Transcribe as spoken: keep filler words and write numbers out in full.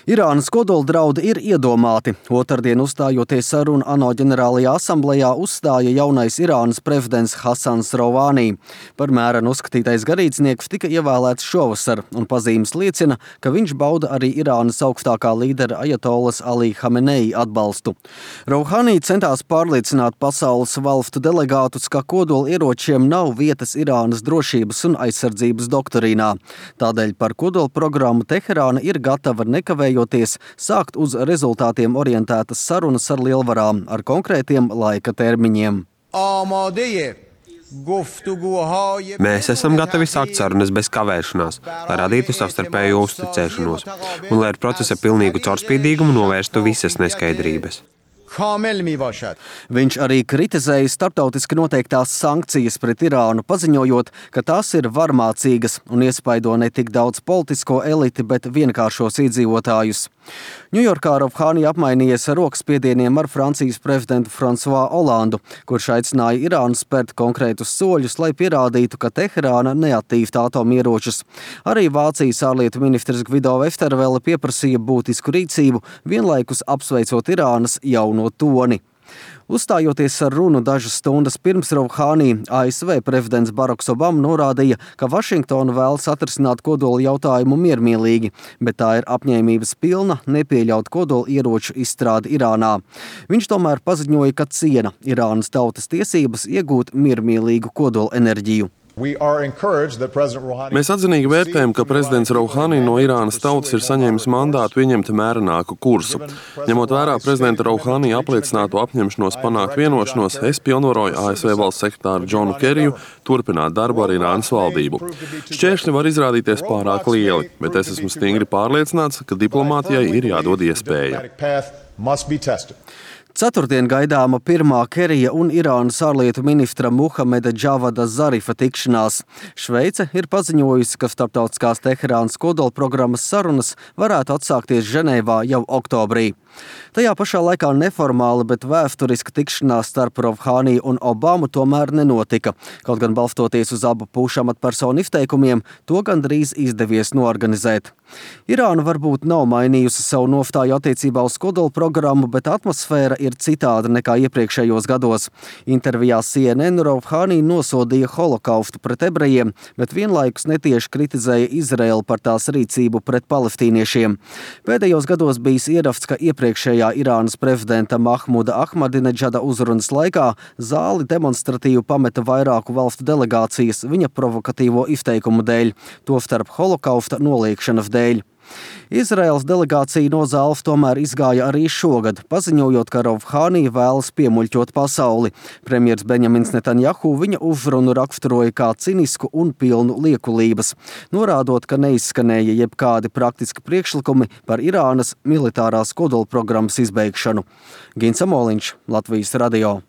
Irānas kodoldraudi ir iedomāti. Otrdien uzstājoties sarunu ANO ģenerālajā asamblejā uzstāja jaunais Irānas prezidents Hasans Rouhani. Par mērenu uzskatītais garīdznieks tika ievēlēts šovasar, un pazīmes liecina, ka viņš bauda arī Irānas augstākā līdera ajatolas Ali Hamenei atbalstu. Rouhani centās pārliecināt pasaules valstu delegātus, ka kodolieročiem nav vietas Irānas drošības un aizsardzības doktrīnā. Tādēļ par kodolprogrammu Teherāna ir gatava nekavējoties sākt uz rezultātiem orientētas sarunas ar lielvarām ar konkrētiem laika termiņiem. Mēs esam gatavi sākt sarunas bez kavēšanās, lai radītu savstarpēju uzticēšanos un lai ar procesa pilnīgu caurspīdīgumu novērstu visas neskaidrības. Viņš arī kritizēja starptautiski noteiktās sankcijas pret Irānu, paziņojot, ka tās ir varmācīgas un iespaido ne tik daudz politisko eliti, bet vienkāršos iedzīvotājus. Ņujorkā Rouhani apmainījies ar rokspiedieniem ar Francijas prezidentu François Hollandu, kurš aicināja Irānu spērt konkrētus soļus, lai pierādītu, ka Teherāna neattīsta atomieročus. Arī Vācijas ārlietu ministrs Gvido Westervele pieprasīja būtisku rīcību, vienlaikus apsveicot Irānas jauno toni. Uzstājoties ar runu dažas stundas pirms Rouhani, A S V prezidents Baraks Obama norādīja, ka Vašingtona vēlas atrisināt kodola jautājumu miermīlīgi, bet tā ir apņēmības pilna nepieļaut kodola ieroču izstrādi Irānā. Viņš tomēr paziņoja, ka ciena Irānas tautas tiesības iegūt miermīlīgu kodola enerģiju. Mēs atzinīgi vērtējam, ka prezidents Rouhani no Irānas tautas ir saņēmis mandātu ieņemt mērenāku kursu. Ņemot vērā prezidenta Rouhani apliecināto apņemšanos panākt vienošanos, es pilnvaroju A S V valsts sekretāru Džonu Keriju turpināt darbu ar Irānas valdību. Šķēršļi var izrādīties pārāk lieli, bet es esmu stingri pārliecināts, ka diplomātijai ir jādod iespēja. Ceturtdien gaidāma pirmā Kerija un Irānas ārlietu ministra Muhameda Džavada Zarifa tikšanās. Šveice ir paziņojusi, ka starptautiskās Teherānas kodolprogrammas sarunas varētu atsākties Ženēvā jau oktobrī. Tajā pašā laikā neformāla, bet vēsturiska tikšanās starp Rouhani un Obamu tomēr nenotika. Kaut gan balstoties uz abu pušu amatpersonu izteikumiem, to gandrīz izdevies noorganizēt. Irāna varbūt nav mainījusi savu nostāju attiecībā uz kodolprogrammu, bet atmosfēra ir citāda nekā iepriekšējos gados. Intervijā C N N Rouhani nosodīja holokaustu pret ebrejiem, bet vienlaikus netieši kritizēja Izraelu par tās rīcību pret palestīniešiem. Pēdējos gados bijis ieraksts, ka iepriekšējā Irānas prezidenta Mahmuda Ahmadineģada uzrunas laikā zāli demonstratīvi pameta vairāku valstu delegācijas viņa provokatīvo izteikumu dēļ, tostarp holokausta noliekšanas dēļ. Izraēlas delegācija no zāles tomēr izgāja arī šogad, paziņojot, ka Rouhani vēlas piemuļķot pasauli. Premjers Benjamins Netanjahu viņa uzrunu raksturoja kā cinisku un pilnu liekulības, norādot, ka neizskanēja jebkādi praktiski priekšlikumi par Irānas militārās kodolprogrammas izbeigšanu. Gins Amoliņš, Latvijas radio.